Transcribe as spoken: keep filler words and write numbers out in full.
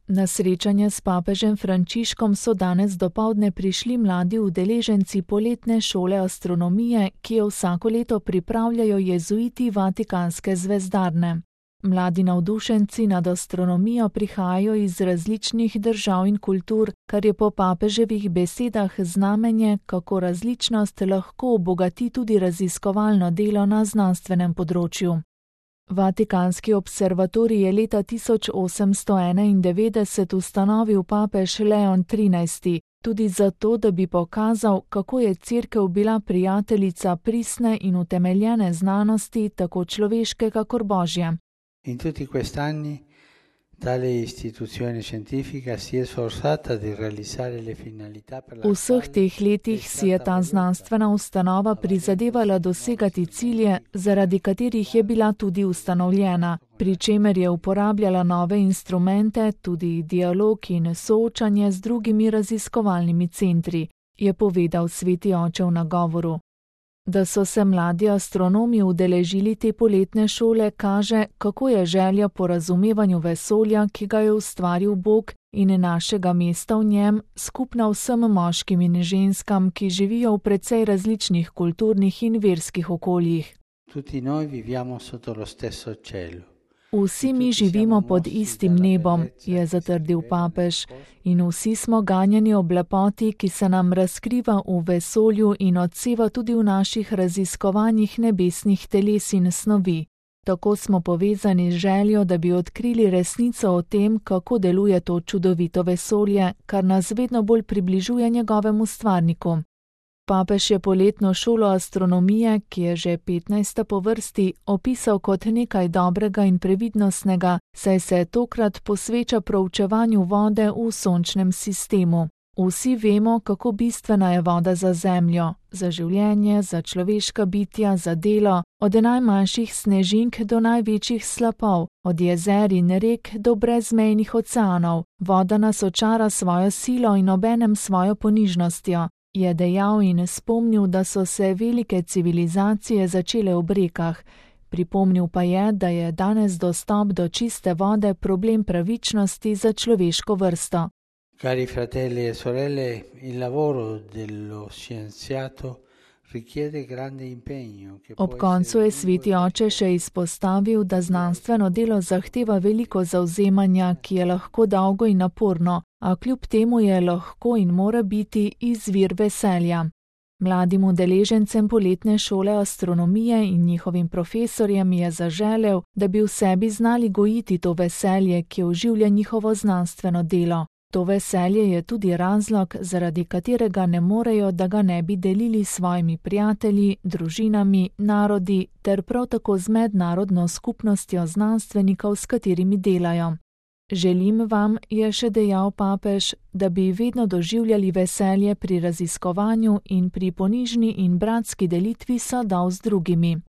Na srečanje s papežem Frančiškom so danes dopoldne prišli mladi udeleženci poletne šole astronomije, ki jo vsako leto pripravljajo jezuiti Vatikanske zvezdarne. Mladi navdušenci nad astronomijo prihajajo iz različnih držav in kultur, kar je po papeževih besedah znamenje, kako različnost lahko obogati tudi raziskovalno delo na znanstvenem področju. Vatikanski observatorij je leta tisoč osemsto enaindevetdeset ustanovil papež Leon trinajsti, tudi zato, da bi pokazal, kako je Cerkev bila prijateljica pristne in utemeljene znanosti, tako človeške kakor božje. In tutti quest'anni tale istituzione scientifica si è sforzata di realizzare le finalità per la V vseh teh letih si je ta znanstvena ustanova prizadevala dosegati cilje, zaradi katerih je bila tudi ustanovljena, pri čemer je uporabljala nove instrumente, tudi dialog in soočanje z drugimi raziskovalnimi centri, je povedal sveti oče v nagovoru. Da so se mladi astronomi udeležili te poletne šole, kaže, kako je želja po razumevanju vesolja, ki ga je ustvaril Bog, in našega mesta v njem, skupna vsem moškim in ženskam, ki živijo v precej različnih kulturnih in verskih okoljih. Tutti noi viviamo sotto lo stesso cielo. Vsi mi živimo pod istim nebom, je zatrdil papež, in vsi smo ganjeni ob lepoti, ki se nam razkriva v vesolju in odseva tudi v naših raziskovanjih nebesnih teles in snovi. Tako smo povezani z željo, da bi odkrili resnico o tem, kako deluje to čudovito vesolje, kar nas vedno bolj približuje njegovemu stvarniku. Papež je poletno šolo astronomije, ki je že petnajsta po vrsti, opisal kot nekaj dobrega in previdnostnega, saj se tokrat posveča proučevanju vode v sončnem sistemu. Vsi vemo, kako bistvena je voda za zemljo, za življenje, za človeška bitja, za delo, od najmanjših snežink do največjih slapov, od jezer in rek do brezmejnih oceanov. Voda nas očara svojo silo in obenem svojo ponižnostjo. Je dejal in spomnil, da so se velike civilizacije začele v rekah. Pripomnil pa je, da je danes dostop do čiste vode problem pravičnosti za človeško vrsto. Cari fratelli e sorelle, il lavoro dello scienziato richiede grande impegno. Ob koncu je sveti oče še izpostavil, da znanstveno delo zahteva veliko zavzemanja, ki je lahko dolgo in naporno, a kljub temu je lahko in mora biti izvir veselja. Mladim udeležencem poletne šole astronomije in njihovim profesorjem je zaželel, da bi v sebi znali gojiti to veselje, ki oživlja njihovo znanstveno delo. To veselje je tudi razlog, zaradi katerega ne morejo, da ga ne bi delili s svojimi prijatelji, družinami, narodi ter prav tako z mednarodno skupnostjo znanstvenikov, s katerimi delajo. Želim vam, je še dejal papež, da bi vedno doživljali veselje pri raziskovanju in pri ponižni in bratski delitvi sadov z drugimi.